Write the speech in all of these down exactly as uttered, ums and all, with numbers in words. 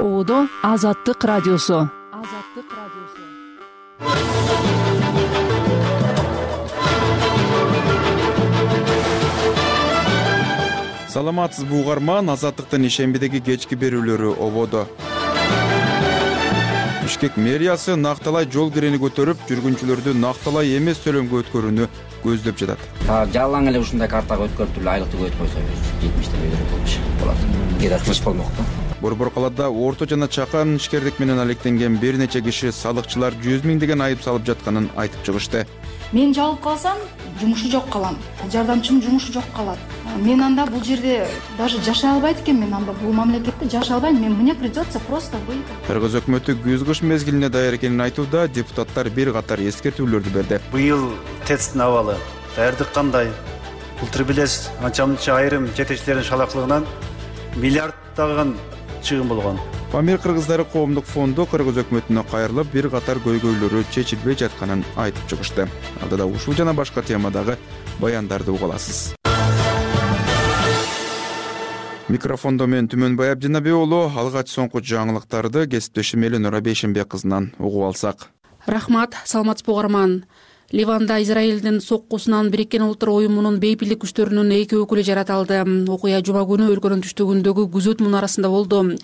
Ободо Азаттык радиосу. Азаттык радиосу. Саламатсызбы угарман, Азаттыктын ишембидеги кечки берүүлөрү ободо. Бишкек мэриясы накталай жол кирени көтөрүп, жүргүнчүлөрдү накталай эмес төлөмгө өткөрүүнү көздөп жатат. Жалаң эле ушундай картага өткөрүп туруп айлыкты көйт койсо жетимиштен өйдөрөк болчу болот. Кээ кыч болмок да. Борбор калаада орто жана чакан ишкерлик менен алектенген бир нече киши салыкчылар жүз миңдеген айып салып жатканын айтып чыгышты. Мен жабылып калсам, жумушу жок калам. Жардамчым жумушу жок калат. Мен анда бул жерде даже жашай албайт экен, мен анда бул мамлекетте жашай албайм. Мен мне придется просто выйти. Кыргыз өкмөтү күз-кыш мезгилине даяр экенин айтууда, депутаттар бир катар эскертүүлөрдү берди. Быйыл ТЭЦтин абалы даярдык кандай? Былтыр билесиз, анча-мынча айрым жетекчилердин шалактылыгынан миллиарддаган чыгым болгон. Памир кыргыздары коомдук фонду кыргыз өкмөтүнө кайрылып, бир катар көйгөйлөрү чечилбей жатканын айтып чыгышты. Алдыда ушул жана башка темадагы баяндарды уга аласыз. Микрофондо мен Түмөнбай Абдинабек уулу, алгач соңку жаңылыктарды кесиптешим Эленора Бейшенбек кызынан угуп алсак. Рахмат, саламатсызбы угарман. Ливанда Израилдин соккусунан Бириккен Улуттар Уюмунун бейпилдик күчтөрүнүн эки өкүлү жаратылды. Окуя жума күнү өлкөнүн түштүгүндөгү күзөт мунарасында болду.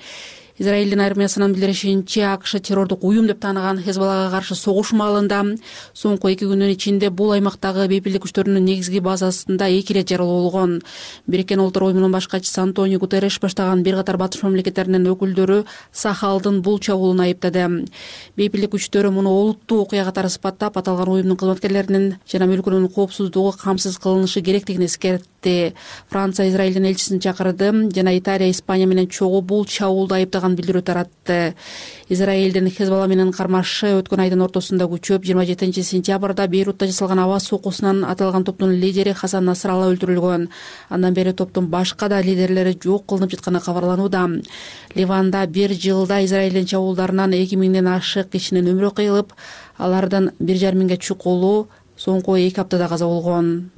Израилдин армиясынын билдиришинче, АКШ террордук уюм деп тааныган Хезболлага каршы согуш маалында соңку эки күндүн ичинде бул аймактагы бейпилдик күчтөрүнүн негизги базасында эки ирет жарылуу болгон. Бириккен Улуттар Уюмунун башкачысы Антонио Гутерреш баштаган бир катар батыш мамлекеттеринин өкүлдөрү Сахалдын бул чабуулун айыптады. Бейпилдик күчтөрү муну олуттуу окуя катары сыпаттап, аталган уюмдун кызматкерлеринин жана өлкөнүн коопсуздугу камсыз кылынышы керектигин эскертти. Франция Израилдин элчисин чакырды жана Италия, Испания менен чогуу бул чабуулду айыптаган билдирүү таратты. Израилдин Хезболла менен кармашы өткөн айдын ортосунда күчөп, жыйырма жетинчи сентябрда Бейрутта жасалган аба соккусунан аталган топтун лидери Хасан Насралла өлтүрүлгөн. Андан бери топтун башка да лидерлери жок кылынып жатканы кабарланууда. Ливанда бир жылда Израилдин чабуулдарынан эки миңден ашык кишинин өмүрү кыйылып, алардан бир жарым миңге чукулуу соңку эки аптада каза болгон.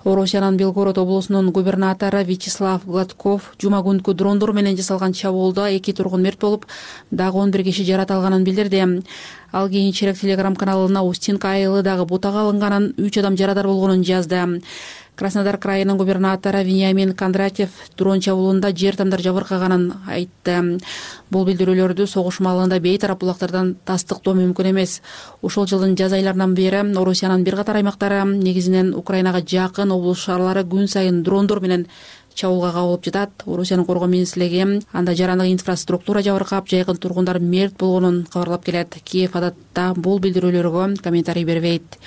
Орусиянын Белгород облусунун губернатору Вячеслав Гладков жума күнкү дрондор менен жасалган чабуулда эки тургун мерт болуп, дагы он бир киши жаратылганын билдирди. Ал кийинчерээк телеграм каналына Устинка айылы дагы бутага алынганын, үч адам жарадар болгонун жазды. Краснодар крайынын губернатору Вениамин Кондратьев дрон чабуулунда жер тамдар жабыркаганын айтты. Бул билдирүүлөрдү согуш маалында бейтарап булактардан тастыктоо мүмкүн эмес. Ушул жылдын жаз айларынан бери Орусиянын бир катар аймактары, негизинен Украинага жакын облус шаарлары күн сайын дрондор менен чабуулга кабылып жатат. Орусиянын коргоо министрлиги анда жарандык инфраструктура жабыркап, жайкын тургундар мерт болгонун кабарлап келет. Киев адатта бул билдирүүлөргө комментарий бербейт.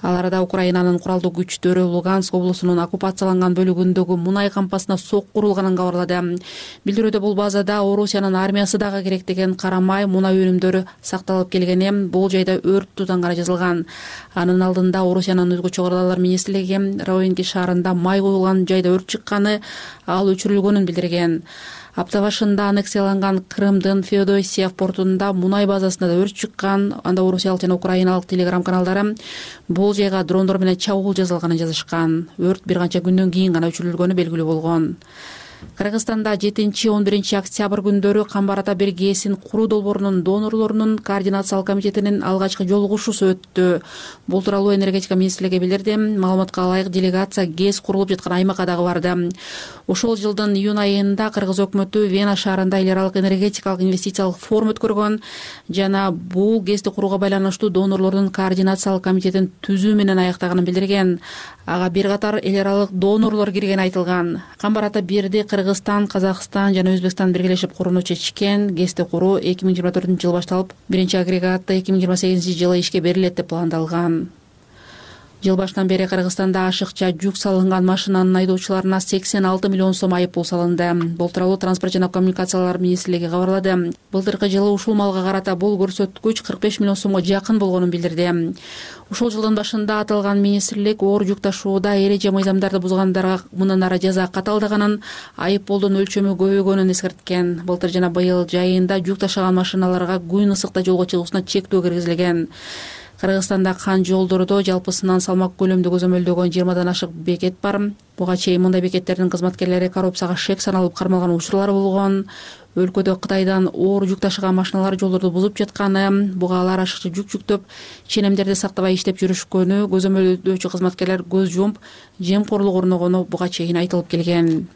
Ал арада Украинанын куралдуу күчтөрү Луганск облусунун оккупацияланган бөлүгүндөгү мунай кампасына сок курулганын кабарлады. Билдирүүдө бул базада Орусиянын армиясы дагы керектеген карамай мунай өнүмдөрү сакталып келгени, бул жайда өрт тутанганы жазылган. Анын алдында Орусиянын өзгөчө куралдар министрлиги Ровенки шаарында май коюлган жайда өрт чыкканы, ал өчүрүлгөнүн билдирген. Апта башында аннексияланган Крымдын Феодосиев портунда мунай базасында да өрт чыккан. Анда орусиялык жана украиналык телеграм каналдары бул жайга дрондор менен чабуул жасалганын жазышкан. Өрт бир канча күндөн кийин гана өчүрүлгөнү белгилүү болгон. Кыргызстанда жетинчи он биринчи октябрь күндөрү Камбарата Бергесин куруу долбоорунун донорлорунун координациялык комитетинин алгачкы жолугушуусу өттү. Бул тууралуу энергетика министрлиги билдирди. Маалыматка ылайык, делегация ГЭС курулуп жаткан аймакка дагы барды. Ошол жылдын июнь айында Кыргыз өкмөтү Вена шаарында эл аралык энергетикалык инвестициялык форум өткөргөн жана бул ГЭСти курууга байланыштуу донорлордун координациялык комитетин түзүү менен аяктаганын билдирген. Ага бир катар эл аралык донорлор киргени айтылган. Камбарата бирди Кыргызстан, Казакстан жана Өзбекстан биргелешип курууну чечкен. ГЭСти куруу эки миң жыйырма төртүнчү жылы башталып, биринчи агрегатты эки миң жыйырма сегизинчи жылы ишке берилет деп пландалган. Жыл башынан бери Кыргызстанда ашыкча жүк салынган машинанын айдоочуларына сексен алты миллион сом айып пул салынды. Бул тууралуу Транспорт жана коммуникациялар министрлиги кабарлады. Былтыркы жылы ушул малга карата бул көрсөткүч кырк беш миллион сомго жакын болгонун билдирди. Ушул жылдын башында аталган министрлик оор жүк ташууда эреже мыйзамдарды бузгандарга мындан ары жаза каталдаганын, айып пулдун өлчөмү көбөйгөнүн эскерткен. Былтыр жана быйыл жайында жүк ташаган машиналарга күн ысыкта жолго чыгуусуна чектөө киргизилген. Кыргызстанда кан жолдордо жалпысынан салмак көлөмдү көзөмөлдөгөн жыйырмадан ашык бекет бар. Буга чейин мындай бекеттердин кызматкерлери коррупцияга шек саналып кармалган учурлар болгон. өлкөдө Кытайдан оор жүк ташыган машиналар жолдорду бузуп жатканы, буга алар ашыкча жүк жүктөп, ченемдерди сактабай иштеп жүрүшкөнү көзөмөлдөөчү кызматкерлер көз жумуп, жемкорлук орногону буга чейин айтылып келген.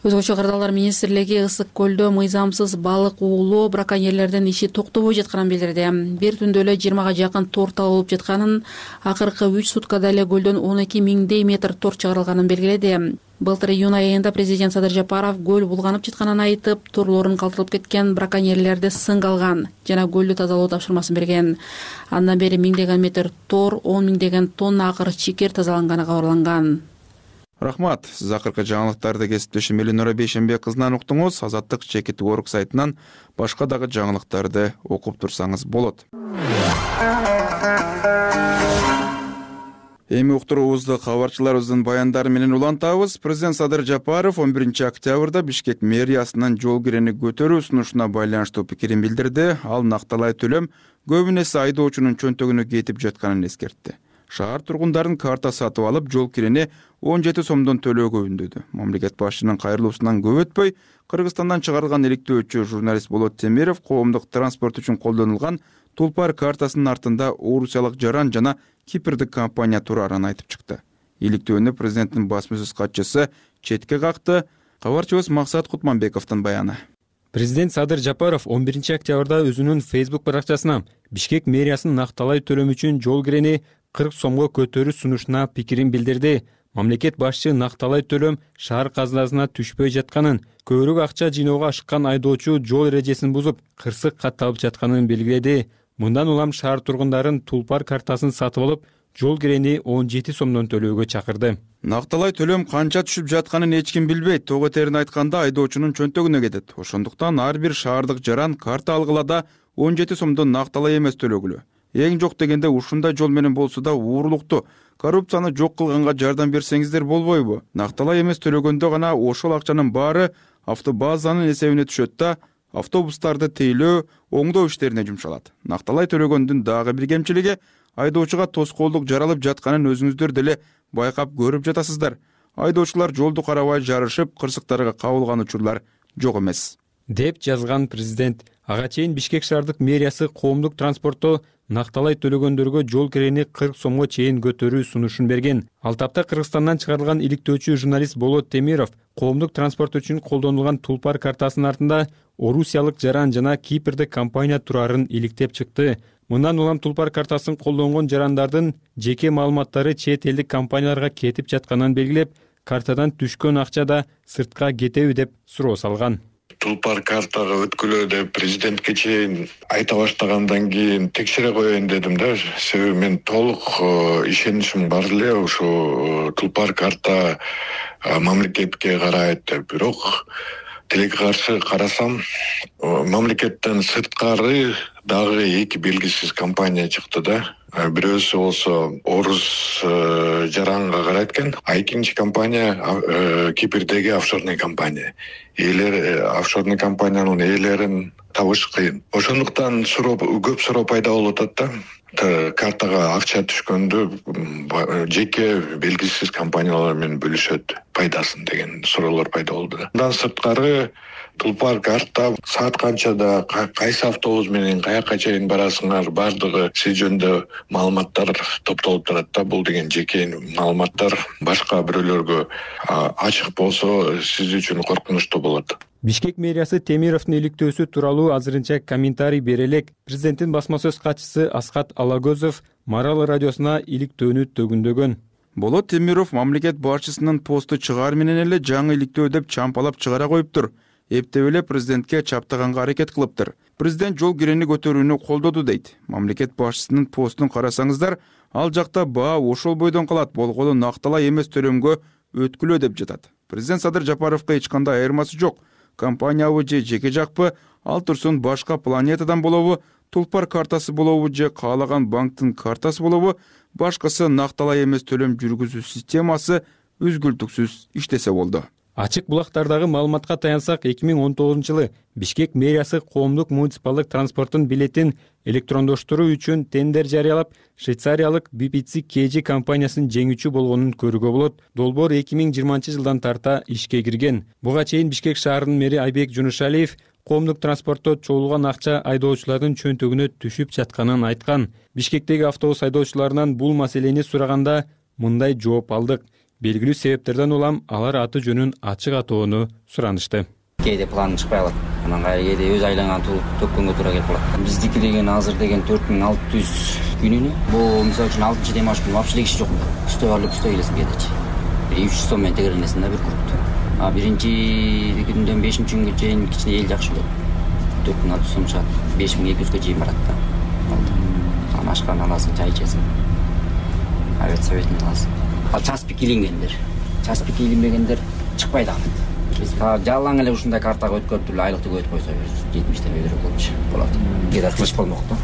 Өзгөчө Кырдаалдар министрлиги Ысык көлдө мыйзамсыз балык уулоо браконьерлердин иши токтобой жатканын билдирди. Бир түндө эле жыйырмага жакын тор табылып жатканын, акыркы үч суткада эле көлдөн он эки миңдей метр тор чыгарылганын белгиледи. Былтыр июнь айында президент Садыр Жапаров көл булганып жатканын айтып, торлорун калтырылып кеткен браконьерлерди сынга алган жана көлдү тазалоо тапшырмасын берген. Андан бери миңдеген метр тор, он миңдеген тонна акыр чикер тазаланганы кабарланган. Рахмат. Сиз акыркы жаңылыктарды кесиптешим Элинора Бейшенбек кызынан уктуңуз. Азаттык чекит орг сайтынан башка дагы жаңылыктарды окуп турсаңыз болот. Эми уктуруубузду кабарчыларыбыздын баяндары менен улантабыз. Президент Садыр Жапаров он биринчи октябрда Бишкек мэриясынын жол кирени көтөрүү сунушуна байланыштуу пикирин билдирди. Ал накталай төлөм көбүн эсе айдоочунун чөнтөгүнө кетип жатканын эскертти. Шаар тургундарын карта сатып алып, жол кирени он жети сомдон төлөөгө үндөдү. Мамлекет башчынын кайрылуусунан көп өтпөй, Кыргызстандан чыгарылган иликтөөчү журналист Болот Темиров коомдук транспорт үчүн колдонулган Тулпар картасынын артында орусиялык жаран жана кипрдик компания турарын айтып чыкты. Иликтөөнү президенттин басма сөз катчысы четке какты. Кабарчыбыз Максат Кутманбековдун баяны. Президент Садыр Жапаров он биринчи октябрда өзүнүн Facebook баракчасына Бишкек мэриясынын накталай төлөм үчүн жол кирени кырк сомго көтөрүү сунушуна пикирин билдирди. Мамлекет башчы накталай төлөм шаар казынасына түшпөй жатканын, көбүрөөк акча жыйноого ашыккан айдоочу жол эрежесин бузуп, кырсык катталып жатканын белгиледи. Мындан улам шаар тургундарын Тулпар картасын сатып алып, жол кирени он жети сомдон төлөөгө чакырды. Накталай төлөм канча түшүп жатканын эч ким билбейт. Тоо терине айтканда айдоочунун чөнтөгүнө кетет. Ошондуктан ар бир шаардык жаран карта алгылада он жети сомдон накталай эмес төлөгүлө. Эң жок дегенде ушундай жол менен болсо да уурулукту, коррупцияны жок кылганга жардам берсеңиздер болбойбу? Накталай эмес төлөгөндө гана ошол акчанын баары автобазанын эсебине түшөт да автобустарды тейлөө, оңдоо иштерине жумшалат. Накталай төлөгөндүн дагы бир кемчилиги айдоочуга тоскоолдук жаралып жатканын өзүңүздөр деле байкап көрүп жатасыздар. Айдоочулар жолду карабай жарышып, кырсыктарга кабылган учурлар жок эмес, деп жазган президент. Ага чейин Бишкек шаардык мэриясы коомдук транспортто накталай төлөгөндөргө жол кирени кырк сомго чейин көтөрүү сунушун берген. Ал тапта Кыргызстандан чыгарылган иликтөөчү журналист Болот Темиров коомдук транспорт үчүн колдонулган Тулпар картасынын артында орусиялык жаран жана кипрдик компания турарын иликтеп чыкты. Мындан улам Тулпар картасын колдонгон жарандардын жеке маалыматтары чет элдик компанияларга кетип жатканын белгилеп, картадан түшкөн акча да сыртка кетеби деп суроо салган. Тулпар картага өткүлөө деп президентке чейин айта баштагандан кийин текшере коеюн дедим да. Себеби мен толук ишеничим бар эле ушу Тулпар карта мамлекетке карайт деп. Бирок тилекке каршы карасам, мамлекеттен сырткары дагы эки белгисиз компания чыкты да. Бирөөсү болсо орус жаранга карайт экен, а экинчи компания Кипрдеги офшорный компания. Ээлер офшорный компаниянын ээлерин табыш кыйын. Ошондуктан суроо көп суроо пайда болуп атат да. Картага акча түшкөндө жеке белгисиз компаниялар менен бөлүшөт пайдасын деген суроолор пайда болду. Андан сырткары Тулпар карта саат канчада кайсы автобус менен каяка чейин барасыңар, бардыгы сиз жөнүндө маалыматтар топтолуп турат да. Бул деген жеке маалыматтар башка бирөөлөргө ачык болсо сиз үчүн коркунучтуу болот. Бишкек мэриясы Темировдун иликтөөсү тууралуу азырынча комментарий бере элек. Президенттин басма сөз катчысы Аскат Алагөзов Марал радиосуна иликтөөнү төгүндөгөн. Болот Темиров мамлекет башчысынын посту чыгаар менен эле жаңы иликтөө деп чампалап чыгара коюптур. Эптеп эле президентке чаптаганга аракет кылыптыр. Президент жол кирени көтөрүүнү колдоду дейт. Мамлекет башчысынын постун карасаңыздар, ал жакта баа ошол бойдон калат, болгону накталай эмес төлөмгө өткүлөө деп жатат. Президент Садыр Жапаровго эч кандай айырмасы жок. Компаниябы же жеке жакпы, ал турсун башка планетадан болобу, Тулпар картасы болобу же каалаган банктын картасы болобу, башкасы накталай эмес төлөм жүргүзүү системасы үзгүлтүксүз иштесе болду. Ачык булактардагы маалыматка таянсак, эки миң он тогузунчу жылы Бишкек мэриясы коомдук муниципалдык транспорттун билетин электрондоштуруу үчүн тендер жарыялап, швейцариялык би пи си кей джи компаниясын жеңүүчү болгонун көрүүгө болот. Долбоор эки миң жыйырманчы жылдан тарта ишке кирген. Буга чейин Бишкек шаарынын мэри Айбек Жунушалиев коомдук транспортто чогулган акча айдоочулардын чөнтөгүнө түшүп жатканын айткан. Бишкектеги автобус айдоочуларынан бул маселени сураганда мындай жооп алдык. Белгилүү себептерден улам алар аты жөнүн ачык атоону суранышты. Кээде план чыкпай калат. Анан кээде өз айланган төккөнгө туура келип калат. Биздики деген азыр деген төрт миң алты жүз күнүнө. Бул мисалы үчүн алтынчы демаш күнү вообще иши жок. Үстө барып үстө келесиң кээдечи. үч жүз сом менен тегерленесиң да бир кругту. А биринчи күндөн бешинчи күнгө чейин кичине эл жакшы болот. төрт миң алты жүз сом чыгат. беш миң эки жүзгө чейин барат да. Анан ашкан аласың, чай ичесиң. Авиасоветин аласың. Ал час пик илингендер, час пик илинбегендер чыкпай дагы. Биз жалаң эле ушундай картага өткөрүп туруп айлыкты көбөйтүп койсо жетимиштен өйдөрөөк болчу болот. Кээде кыч болмок да.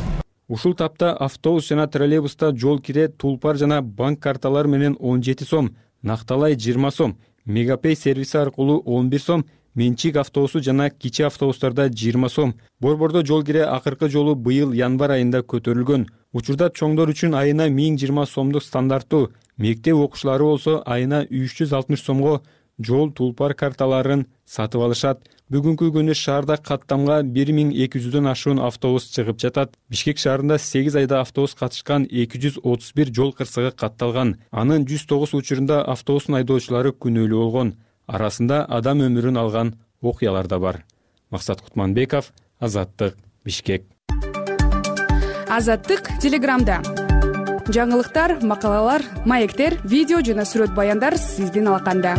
Ушул тапта автобус жана троллейбуста жол кире, тулпар жана банк карталары менен он жети сом, Накталай жыйырма сом, Мегапей сервиси аркылуу он бир сом, менчик автобусу жана кичи автобустарда жыйырма сом. Борбордо жол кире акыркы жолу быйыл январь айында көтөрүлгөн. Учурда чоңдор үчүн айына миң жыйырма сомдук стандарттуу, мектеп окуучулары болсо айына үч жүз алтымыш сомго жол тулпар карталарын сатып алышат. Бүгүнкү күнү шаарда каттамга бир миң эки жүздөн ашуун автобус чыгып жатат. Бишкек шаарында сегиз айда автобус катышкан эки жүз отуз бир жол кырсыгы катталган. Анын жүз тогуз учурунда автобустун айдоочулары күнөөлүү болгон. Арасында адам өмүрүн алган окуялар да бар. Максат Кутманбеков, Азаттык, Бишкек. Азаттык Телеграмда. Жаңылыктар, макалалар, маектер, видео жана сүрөт баяндар сиздин алаканда.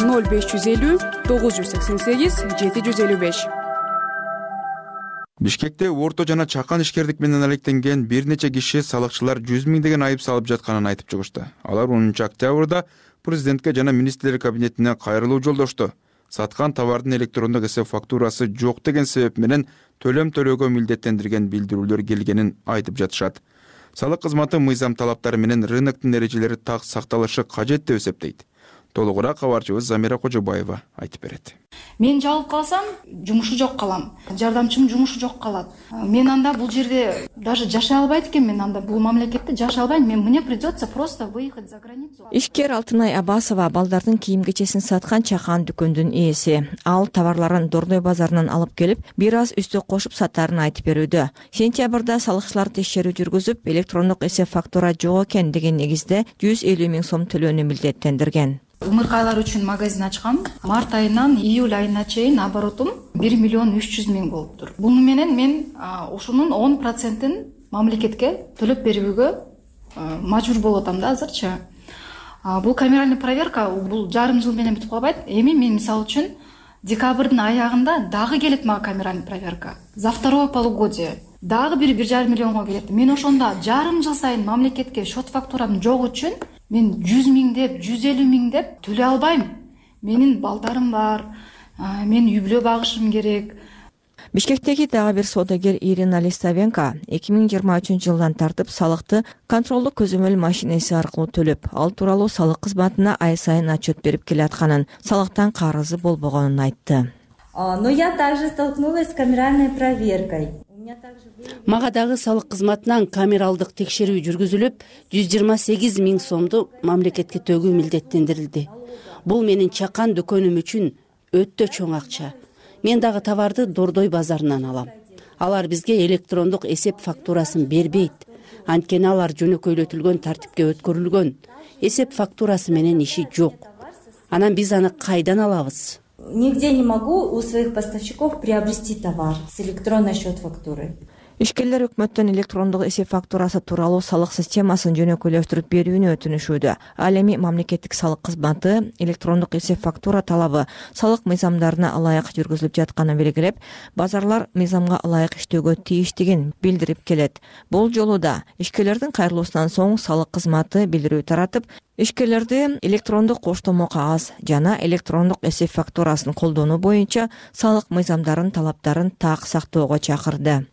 ноль беш жүз элүү тогуз жүз сексен сегиз жети жүз элүү беш. Бишкекте орто жана чакан ишкердик менен алектенген бир нече киши салыкчылар жүз миңдеген айып салып жатканын айтып чыгышты. Алар онунчу октябрда президентке жана министрлер кабинетине кайрылуу жолдошту. Саткан товардын электрондук эсеп фактурасы жок деген себеп менен төлөм төлөөгө милдеттендирген билдирүүлөр келгенин айтып жатышат. Салык кызматы мыйзам талаптары менен рыноктун эрежелери так сакталышы кажет деп эсептейт. Толугураак кабарчыбыз Замира Кожобаева айтып берет. Мен жабылып калсам, жумушу жок калам. Жардамчым жумушу жок калат. Мен анда бул жерде даже жашай албайт экен, мен анда бул мамлекетте жашай албайм. Мен мне придется просто выехать за границу. Ишкер Алтынай Абасова балдардын кийим-кечесин саткан чакан дүкөндүн ээси. Ал товарларын Дордой базарынан алып келип, бир аз үстө кошуп сатаарын айтып берүүдө. Сентябрда салыкчылар текшерүү жүргүзүп, электрондук эсеп фактура жок экен деген негизде жүз элүү миң сом төлөөнү милдеттендирген. Умыркайлар үчүн магазин ачкам. Март айынан июль айына чейин оборотум бир миллион үч жүз миң болуптур. Буну менен мен ошонун он процентин мамлекетке төлөп берүүгө мажбур болуп атам да азырчы. Бул камеральный проверка бул жарым жыл менен бүтүп калбайт. Эми мен мисалы үчүн декабрдын аягында дагы келет мага камеральный проверка. За второе полугодие дагы бир бир жарым миллионго келет. Мен ошондо жарым жыл сайын мамлекетке счет фактурам жок үчүн мен жүз миң деп, жүз элүү миң деп төлөй албайм. Менин балдарым бар, мен үй бүлө багышым керек. Бишкектеги дагы бир соодагер Ирина Листавенко эки миң жыйырма үчүнчү жылдан тартып салыкты контролдук көзөмөл машинеси аркылуу төлөп, ал тууралуу салык кызматына ай сайын отчет берип келатканын, салыктан карызы болбогонун айтты. Но я также столкнулась с камеральной проверкой. Мага дагы салык кызматынан камералдык текшерүү жүргүзүлүп, жүз жыйырма сегиз миң сомду мамлекетке төгүү милдеттендирилди. Бул менин чакан дүкөнүм үчүн өтө чоң акча. Мен дагы товарды Дордой базарынан алам. Алар бизге электрондук эсеп фактурасын бербейт. Анткени алар жөнөкөйлөтүлгөн тартипке өткөрүлгөн. Эсеп фактурасы менен иши жок. Анан биз аны кайдан алабыз? Нигде не могу у своих поставщиков приобрести товар с электронной счет-фактурой. Ишкерлер өкмөттөн электрондук эсеп фактурасы тууралуу салык системасын жөнөкөйлөштүрүп берүүнү өтүнүшүүдө. Ал эми мамлекеттик салык кызматы электрондук эсеп фактура талабы салык мыйзамдарына ылайык жүргүзүлүп жатканын белгилеп, базарлар мыйзамга ылайык иштөөгө тийиштигин билдирип келет. Бул жолу да ишкерлердин кайрылуусунан соң салык кызматы билдирүү таратып, ишкерлерди электрондук коштомо кагаз жана электрондук эсеп фактурасын колдонуу боюнча салык мыйзамдарын талаптарын так сактоого чакырды.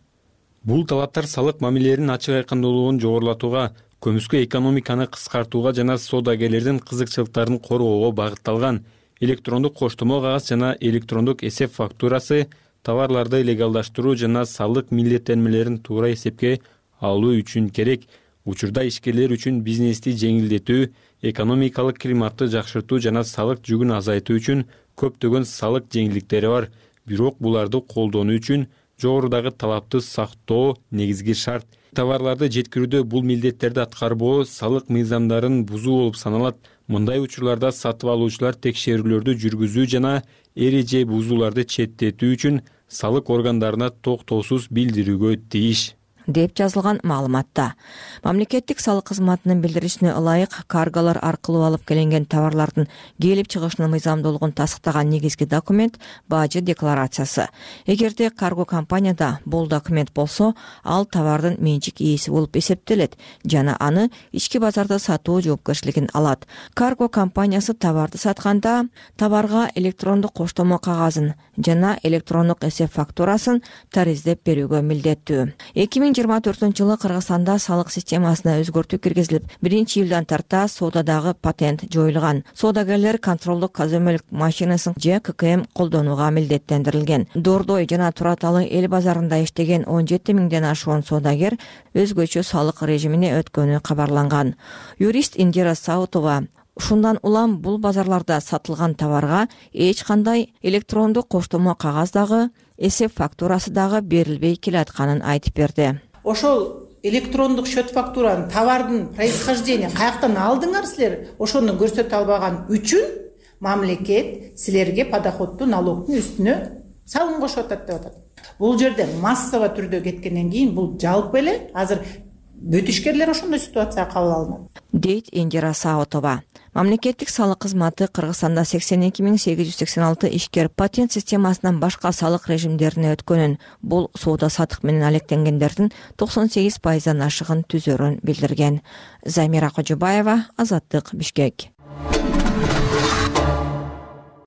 Бул талаптар салык мамилелеринин ачык айкындуулугун жогорулатууга, көмүскө экономиканы кыскартууга жана соодагерлердин кызыкчылыктарын коргоого багытталган. Электрондук коштомо кагаз жана электрондук эсеп фактурасы товарларды легалдаштыруу жана салык милдеттенмелерин туура эсепке алуу үчүн керек. Учурда ишкерлер үчүн бизнести жеңилдетүү, экономикалык климатты жакшыртуу жана салык жүгүн азайтуу үчүн көптөгөн салык жеңилдиктери бар. бирок буларды колдонуу үчүн жогорудагы талапты сактоо негизги шарт. Товарларды жеткирүүдө бул милдеттерди аткарбоо салык мыйзамдарын бузуу болуп саналат. Мындай учурларда сатып алуучулар текшерүүлөрдү жүргүзүү жана эреже бузууларды четтетүү үчүн салык органдарына токтоосуз билдирүүгө тийиш деп жазылган маалыматта. Мамлекеттик салык кызматынын билдиришине ылайык, карголор аркылуу алып келинген товарлардын келип чыгышынын мыйзамдуулугун тастыктаган негизги документ бажы декларациясы. Эгерде карго компанияда бул документ болсо, ал товардын менчик ээси болуп эсептелет жана аны ички базарда сатуу жоопкерчилигин алат. Карго компаниясы товарды сатканда товарга электрондук коштомо кагазын жана электрондук эсеп фактурасын тариздеп берүүгө милдеттүү. эки миң жыйырма төртүнчү жылы Кыргызстанда салык системасына өзгөртүү киргизилип, биринчи июлдан тарта соодадагы патент жоюлган. Соодагерлер контролдук көзөмөл машинасын же ка ка эм колдонууга милдеттендирилген. Дордой жана Тураталы эл базарында иштеген он жети миңден ашуун соодагер өзгөчө салык режимине өткөнү кабарланган. Юрист Индира Саутова ушундан улам бул базарларда сатылган товарга эч кандай электрондук коштомо кагаз дагы, эсеп фактурасы дагы берилбей келатканын айтып берди. Ошол электрондук счет фактуранын товардын происхождение каяктан алдыңар силер, ошону көрсөтө албаган үчүн мамлекет силерге подоходдуу налогдун үстүнө салым кошуп атат деп атат. Бул жерде массово түрдө кеткенден кийин бул жалпы эле азыр бүт ишкерлер ошондой ситуацияга кабыл алынат, дейт Индира Саутова. Мамлекеттик салык кызматы Кыргызстанда сексен эки миң сегиз жүз сексен алты ишкер патент системасынан башка салык режимдерине өткөнүн, бул соода сатык менен алектенгендердин токсон сегиз пайыздан ашыгын түзөрүн билдирген. Замира Кожобаева, Азаттык, Бишкек.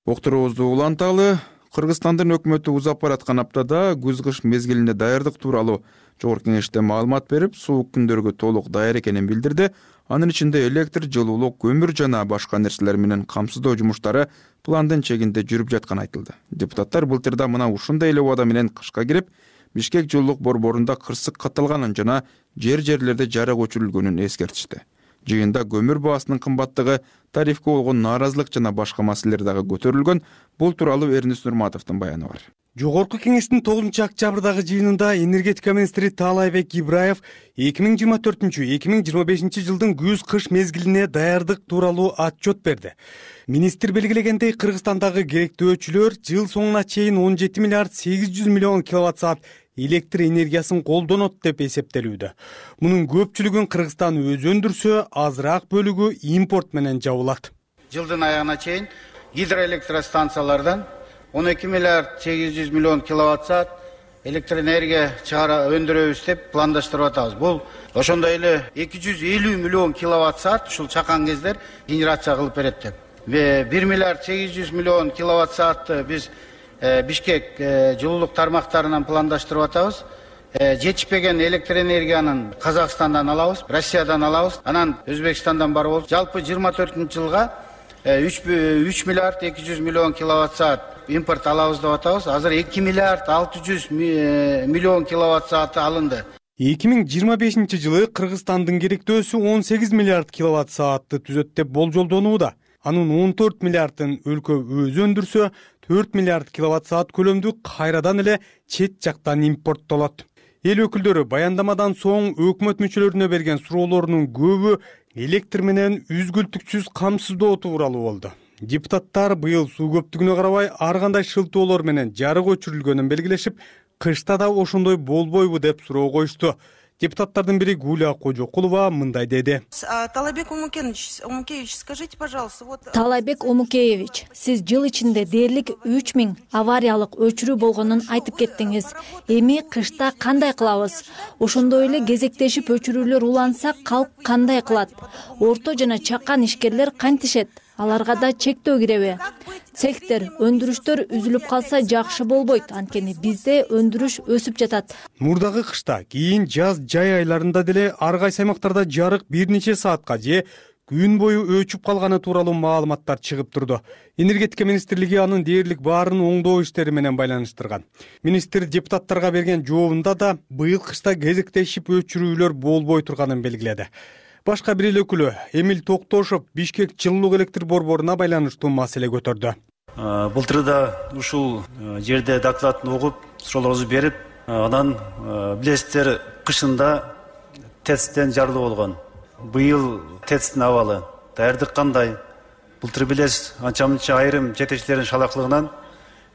Октурубузду уланталы. Кыргызстандын өкмөтү узап бараткан аптада күз-кыш мезгилине даярдык тууралуу Жогорку Кеңеште маалымат берип, суук күндөргө толук даяр экенин билдирди. Анын ичинде электр, жылуулук, көмүр жана башка нерселер менен камсыздоо жумуштары пландын чегинде жүрүп жатканы айтылды. Депутаттар былтырда мына ушундай эле убада менен кышка кирип, Бишкек жылуулук борборунда кырсык катталганын жана жер-жерлерде жарык өчүрүлгөнүн эскертишти. Жыйында көмүр баасынын кымбаттыгы, тарифке болгон нааразылык жана башка маселелер дагы көтөрүлгөн. Бул тууралуу Эрнис Нурматовдун баяны бар. Жогорку Кеңештин тогузунчу октябрдагы жыйынында энергетика министри Таалайбек Ибраев эки миң жыйырма төртүнчү эки миң жыйырма бешинчи жылдын күз-кыш мезгилине даярдык тууралуу отчет берди. Министр белгилегендей, Кыргызстандагы керектөөчүлөр жыл соңуна чейин он жети миллиард сегиз жүз миллион киловатт саат электр энергиясын колдонот деп эсептелүүдө. Мунун көпчүлүгүн Кыргызстан өзү өндүрсө, азыраак бөлүгү импорт менен жабылат. Жылдын аягына чейин гидроэлектростанциялардан он эки миллиард сегиз жүз миллион киловатт саат электр энергия чыгара өндүрөбүз деп пландаштырып атабыз. Бул ошондой эле эки жүз элүү миллион киловатт саат ушул чакан кездер генерация кылып берет деп. бир миллиард сегиз жүз миллион киловатт саатты биз Бишкек жылуулук тармактарынан пландаштырып атабыз. Жетишпеген электр энергиянын Казакстандан алабыз, Россиядан алабыз, анан Өзбекстандан бар болуп, жалпы жыйырма төртүнчү жылга үч миллиард эки жүз миллион киловатт саат импорт алабыз деп атабыз. Азыр эки миллиард алты жүз миллион киловатт сааты алынды. эки миң жыйырма бешинчи жылы Кыргызстандын керектөөсү он сегиз миллиард киловатт саатты түзөт деп болжолдонууда. Анын он төрт миллиардын өлкө өзү өндүрсө, төрт миллиард киловатт саат көлөмдү кайрадан эле чет жактан импорттолот. Эл өкүлдөрү баяндамадан соң өкмөт мүчөлөрүнө берген суроолорунун көбү электр менен үзгүлтүксүз камсыздоо тууралуу болду. Депутаттар быйыл суу көптүгүнө карабай ар кандай шылтоолор менен жарык өчүрүлгөнүн белгилешип, кышта да ошондой болбойбу деп суроо коюшту. Депутаттардын бири Гуля Кожокулова мындай деди. Таалайбек Омукеевич, скажите, пожалуйста, вот... Таалайбек Омукеевич, сиз жыл ичинде дээрлик үч миң авариялык өчүрүү болгонун айтып кеттиңиз. Эми кышта кандай кылабыз? Ошондой эле кезектешип өчүрүүлөр уланса, калк кандай кылат? Орто жана чакан ишкерлер кантишет? Аларга да чектөө киреби? Цехтер, өндүрүштөр үзүлүп калса жакшы болбойт, анткени бизде өндүрүш өсүп жатат. Мурдагы кышта, кийин жаз жай айларында деле ар кайсы аймактарда жарык бир нече саатка же күн бою өчүп калганы тууралуу маалыматтар чыгып турду. Энергетика министрлиги анын дээрлик баарын оңдоо иштери менен байланыштырган. Министр депутаттарга берген жообунда да быйыл кышта кезектешип өчүрүүлөр болбой турганын белгиледи. Башка бир эл өкүлү Эмил Токтошов Бишкек жылуулук электр борборуна байланыштуу маселе көтөрдү. Былтыр да ушул жерде докладын угуп, суроолорубузду берип, анан билесиздер, кышында ТЭЦтен жарылуу болгон. Быйыл ТЭЦтин абалы даярдык кандай? Былтыр билесиз, анча мынча айрым жетекчилердин шалаклыгынан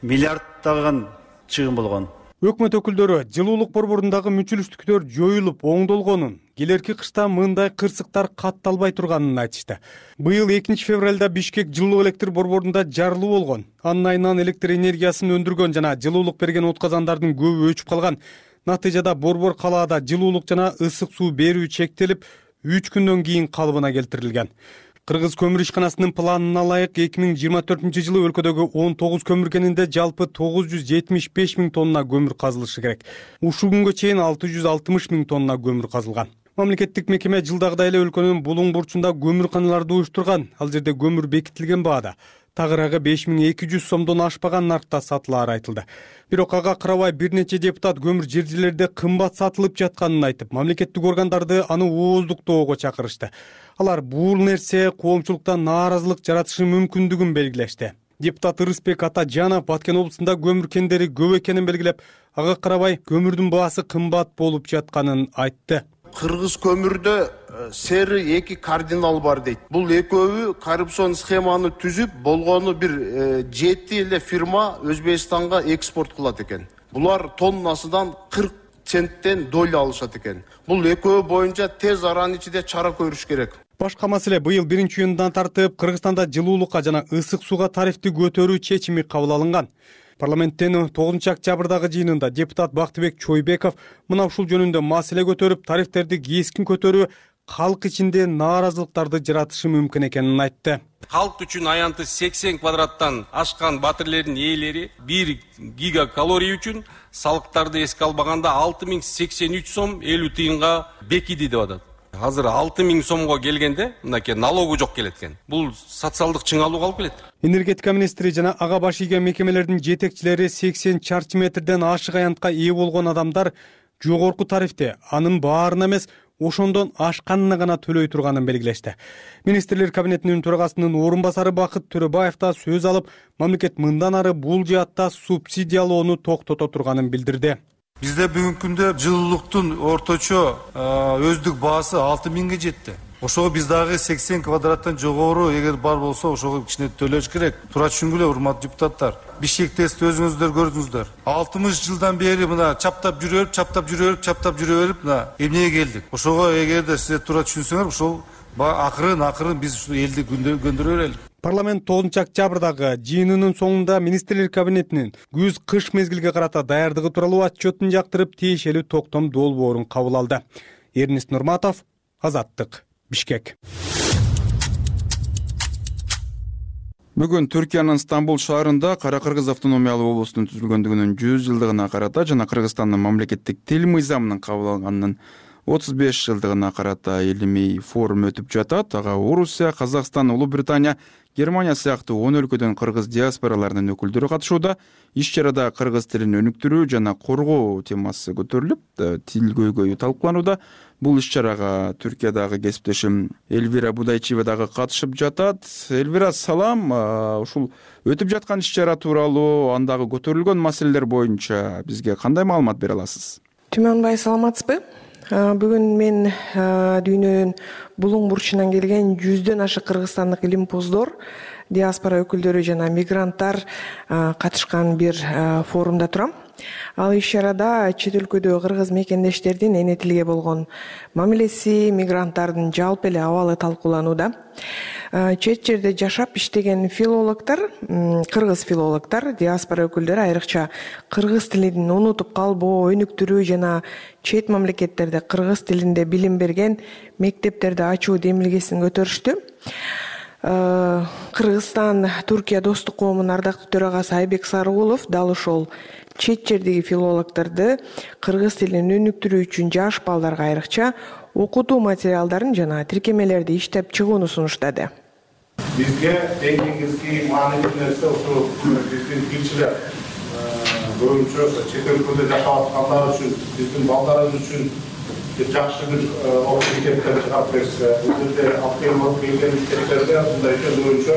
миллиарддаган чыгым болгон. Өкмөт өкүлдөрү жылуулук борборундагы мүчүлүштүктөр жоюлуп оңдолгонун, келерки кышта мындай кырсыктар катталбай турганын айтышты. Быйыл экинчи февралда Бишкек жылуу электр борборунда жарылуу болгон. Анын айынан электр энергиясын өндүргөн жана жылуулук берген отказандардын көбү өчүп калган. Натыйжада борбор калаада жылуулук жана ысык суу берүү чектелип, үч күндөн кийин калыбына келтирилген. Кыргыз көмүр ишканасынын планына ылайык эки миң жыйырма төртүнчү жылы өлкөдөгү он тогуз көмүр кенинде жалпы тогуз жүз жетимиш беш миң тонна көмүр казылышы керек. Ушул күнгө чейин алты жүз алтымыш миң тонна көмүр казылган. Мамлекеттик мекеме жылдагыдай эле өлкөнүн булуң бурчунда көмүрканаларды уюштурган. Ал жерде көмүр бекитилген баада. Тагыраагы беш миң эки жүз сомдон ашпаган наркта сатылаары айтылды. Бирок ага карабай бир нече депутат көмүр жер жерлерде кымбат сатылып жатканын айтып, мамлекеттик органдарды аны ооздуктоого чакырышты. Алар бул нерсе коомчулуктан нааразылык жаратышы мүмкүндүгүн белгилешти. Депутат Ырысбек Атажанов Баткен облусунда көмүр кендери көп экенин белгилеп, ага карабай көмүрдүн баасы кымбат болуп жатканын айтты. Кыргыз көмүрдө сери эки кардинал бар дейт. Бул экөөбү коррупцион схеманы түзүп, болгону бир жети эле фирма Өзбекстанга экспорт кылат экен. Булар тоннасынан кырк центтен доля алышат экен. Бул экөө боюнча тез аранын ичинде чара көрүш керек. Башка маселе, быйыл биринчи июндан тартып Кыргызстанда жылуулукка жана ысык сууга тарифти көтөрүү чечими кабыл алынган. Парламенттин тогузунчу октябрдагы жыйынында депутат Бактыбек Чойбеков мына ушул жөнүндө маселе көтөрүп, тарифтерди кескин көтөрүү калк ичинде нааразылыктарды жаратышы мүмкүн экенин айтты. Калк үчүн аянты сексен квадраттан ашкан батирлердин ээлери бир гигакалорий үчүн салыктарды эске албаганда алты миң сексен үч сом элүү тыйынга бекиди деп атат. Азыр алты миң сомго келгенде мынакей налогу жок келет экен. Бул социалдык чыңалууга алып келет. Энергетика министри жана ага баш ийген мекемелердин жетекчилери сексен чарчы метрден ашык аянтка ээ болгон адамдар жогорку тарифти анын баарына эмес, ошондон ашканына гана төлөй турганын белгилешти. Министрлер кабинетинин төрагасынын орун басары Бакыт Төрөбаев да сөз алып, мамлекет мындан ары бул жаатта субсидиялоону токтото турганын билдирди. Бизде бүгүнкү күндө жылуулуктун орточо өздүк баасы алты миңге жетти. Ошого биз дагы сексен квадраттан жогору эгер бар болсо, ошого кичине төлөш керек. Туура түшүнгүлө, урматтуу депутаттар. Бишкекте өзүңүздөр көрдүңүздөр. алтымыш жылдан бери мына чаптап жүрө берип, чаптап жүрө берип, чаптап жүрө берип, мына эмнеге келдик? Ошого эгерде сиздер туура түшүнсөңөр, ошол акырын акырын биз ушул элди көндүрө берели. Парламент тогузунчу октябрдагы жыйынынын соңунда министрлер кабинетинин күз-кыш мезгилге карата даярдыгы тууралуу отчетун жактырып, тиешелүү токтом долбоорун кабыл алды. Эрнис Нурматов, Азаттык, Бишкек. Бүгүн Түркиянын Стамбул шаарында Кара Кыргыз автономиялуу облустун түзүлгөндүгүнүн жүз жылдыгына карата жана Кыргызстандын мамлекеттик тил мыйзамынын кабыл алынганынын отуз беш жылдыгына карата илимий форум өтүп жатат. Ага Орусия, Казакстан, Улуу Британия, Германия сыяктуу он өлкөдөн кыргыз диаспораларынын өкүлдөрү катышууда. Иш-чарада кыргыз тилин өнүктүрүү жана коргоо темасы көтөрүлүп, тил көйгөйү талкууланууда. Бул иш-чарага Түркиядагы кесиптешим Эльвира Будайчиева дагы катышып жатат. Эльвира, салам. Ушул өтүп жаткан иш-чара тууралуу, андагы көтөрүлгөн маселелер боюнча бизге кандай маалымат бере аласыз? Түймөнбай, саламатсызбы? Бүгүн мен дүйнөнүн булуң бурчунан келген жүздөн ашык кыргызстандык илимпоздор, диаспора өкүлдөрү жана мигранттар катышкан бир форумда турам. Ал иш-чарада чет өлкөдө кыргыз мекендештердин эне тилге болгон мамилеси, мигранттардын жалпы эле абалы талкууланууда. Чет жерде жашап иштеген филологдор, кыргыз филологдор, диаспора өкүлдөрү айрыкча кыргыз тилин унутуп калбоо, өнүктүрүү жана чет мамлекеттерде кыргыз тилинде билим берген мектептерди ачуу демилгесин көтөрүштү. Кыргызстан Түркия достук коомунун ардактуу төрагасы Айбек Сарыгулов дал ошол чет жердеги филологдорду кыргыз тилин өнүктүрүү үчүн жаш балдарга айрыкча окутуу материалдарын жана тиркемелерди иштеп чыгууну сунуштады. Бизге эң негизги маанилүү нерсе ошо биздин тилчилер көбүнчө чет өлкөдө жашап аткандар үчүн, биздин балдарыбыз үчүн жакшы бир окуу мектептер чыгарып берсе, бул жерде алып келген мектептерде мындай боюнча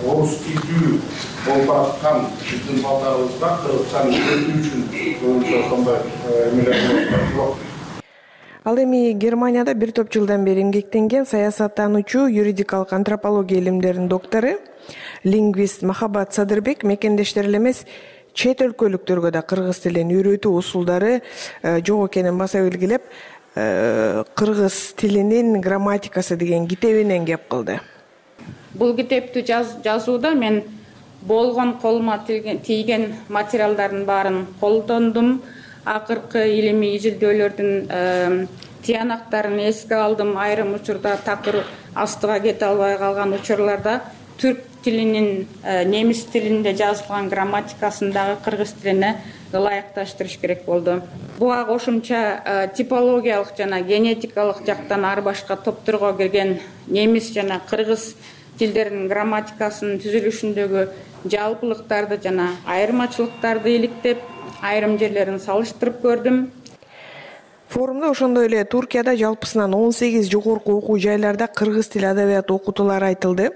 орус тилдүү болуп аткан биздин балдарыбызга кыргызчаны үйрөтүү үчүн көбүнчө ошондой эмелер болот. Ал эми Германияда бир топ жылдан бери эмгектенген саясаттануучу, юридикалык антропология илимдеринин доктору, лингвист Махаббат Садырбек мекендештер эле эмес чет өлкөлүктөргө да кыргыз тилин үйрөтүү усулдары жок экенин баса белгилеп, кыргыз тилинин грамматикасы деген китебинен кеп кылды. Бул китепти жазууда мен болгон колума тийген материалдардын баарын колдондум. Акыркы илимий изилдөөлөрдүн тиянактарын эске алдым. Айрым учурда такыр астыга кете албай калган учурларда түрк тилинин немис тилинде жазылган грамматикасын дагы кыргыз тилине ылайыкташтырыш керек болду. Буга кошумча типологиялык жана генетикалык жактан ар башка топторго кирген немис жана кыргыз тилдеринин грамматикасынын түзүлүшүндөгү жалпылыктарды жана айырмачылыктарды иликтеп, айрым жерлерин салыштырып көрдүм. Форумда ошондой эле Туркияда жалпысынан он сегиз жогорку окуу жайларда кыргыз тили адабияты окутуулары айтылды.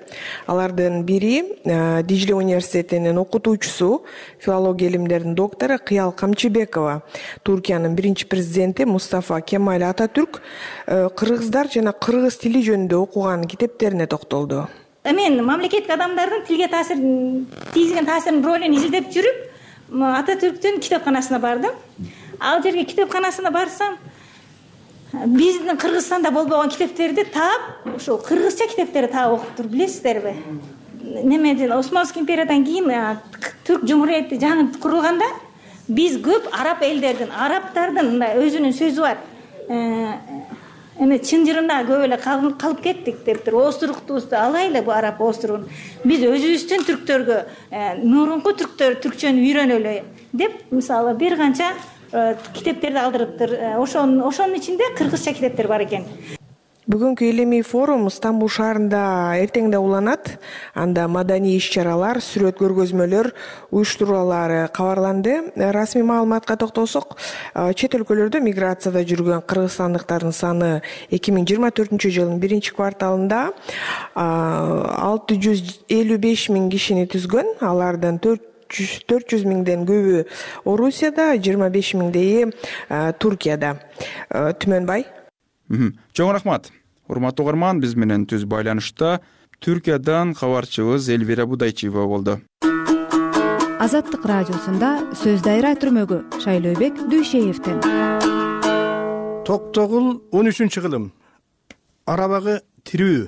Алардын бири Дижиле университетинин окутуучусу, филология илимдеринин доктору Кыял Камчыбекова. Туркиянын биринчи президенти Мустафа Кемаль Ататүрк кыргыздар жана кыргыз тили жөнүндө окуган китептерине токтолду. Мен мамлекеттик адамдардын тилге таасир тийгизген таасиринин ролун изилдеп жүрүп, Ататүрктүн китепканасына бардым. Ал жерге китепканасына барсам, биздин Кыргызстанда болбогон китептерди таап, ошол кыргызча китептерди таап окуптур, билесиздерби? Немеден Османский империядан кийин Түрк Жумурияти жаңы курулганда биз көп араб элдердин, арабтардын өзүнүн сөзү бар. Эми чынжырына көп эле калып кеттик дептир. Остуруктубузду алайлы, бу араб остурун. Биз өзүбүздүн түрктөргө, мурунку түрктөр түркчөнү үйрөнөлү деп, мисалы бир канча китептерди алдырыптыр. Ошонун ошонун ичинде кыргызча китептер бар экен. Бүгүнкү илимий форум Стамбул шаарында эртең да уланат. Анда маданий иш-чаралар, сүрөт көргөзмөлөр уюштурулары кабарланды. Расмий маалыматка токтолсок, чет өлкөлөрдө миграцияда жүргөн кыргызстандыктардын саны эки миң жыйырма төртүнчү жылдын биринчи кварталында алты жүз элүү беш миң кишини түзгөн. Алардын төрт жүз миңден көбү Орусияда, жыйырма беш миңдейи Туркияда. Түмөнбай. Чоң рахмат. Урматтуу угарман, биз менен түз байланышта Түркиядан кабарчыбыз Элвира Будайчиева болду. Азаттык радиосунда сөз дайра түрмөгү Шайлообек Дүйшеевден. Токтогул он үчүнчү кылым. Арабагы тирүү.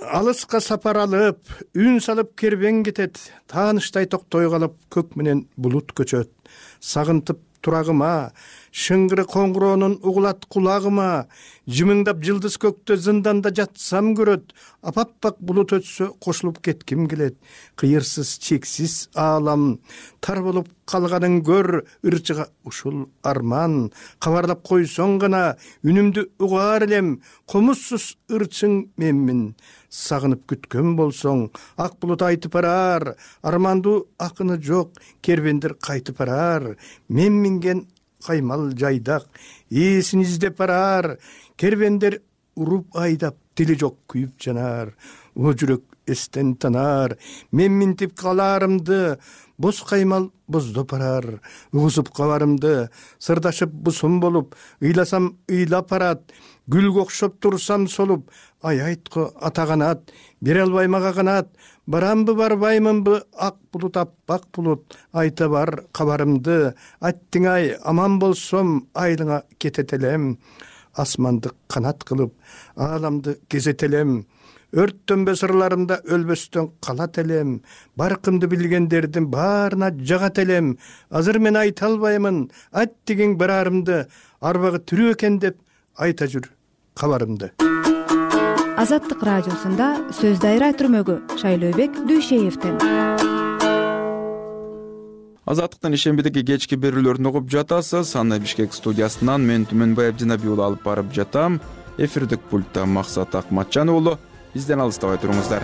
Алыска сапар алып, үн салып кербен кетет, тааныштай токтой калып көк менен булут көчөт. Сагынтып турагыма, шыңгыры коңгуроонун угулат кулагыма, жымыңдап жылдыз көктө зынданда жатсам көрөт, апаппак булут өтсө кошулуп кетким келет. Кыйырсыз чексиз аалам, тар болуп калганын көр, ырчыга ушул арман. Кабарлап койсоң гана үнүмдү угаар элем, комузсуз ырчың менмин. Сагынып күткөн болсоң, ак булут айтып барар, армандуу акыны жок, кербендер кайтып барар. Мен минген каймал жайдак, ээсин издеп барар, кербендер уруп айдап, тили жок күйүп жанар. О жүрөк эстен танар, мен минтип каларымды, боз каймал боздоп барар. Угузуп кабарымды, сырдашып бусум болуп, ыйласам ыйлап барат. Гүлгө окшоп турсам солуп, ай айтко атаганат, бере албай мага канат. Барамбы барбаймынбы, ак булут аппак булут, айта бар кабарымды. Аттың ай, аман болсом, айлыңа кететелем. Асманды канат кылып, ааламды кезетелем. Өрттөнбө сырларымда өлбөстөн калат элем. Баркымды билгендердин баарына жагат элем. Азыр мен айта албаймын, аттигиң барарымды, арбагы тирүү экен деп айта жүр кабарымды. Азаттык радиосунда сөз дайра түрмөгү Шайлообек Дүйшеевден. Азаттыктын ишембидеги кечки берүүлөрүн угуп жатасыз. Аны Бишкек студиясынан мен Түмөнбай Абдинабий уулу алып барып жатам. Эфирдик пультта Максат Акматжан уулу. Бизден алыстабай туруңуздар.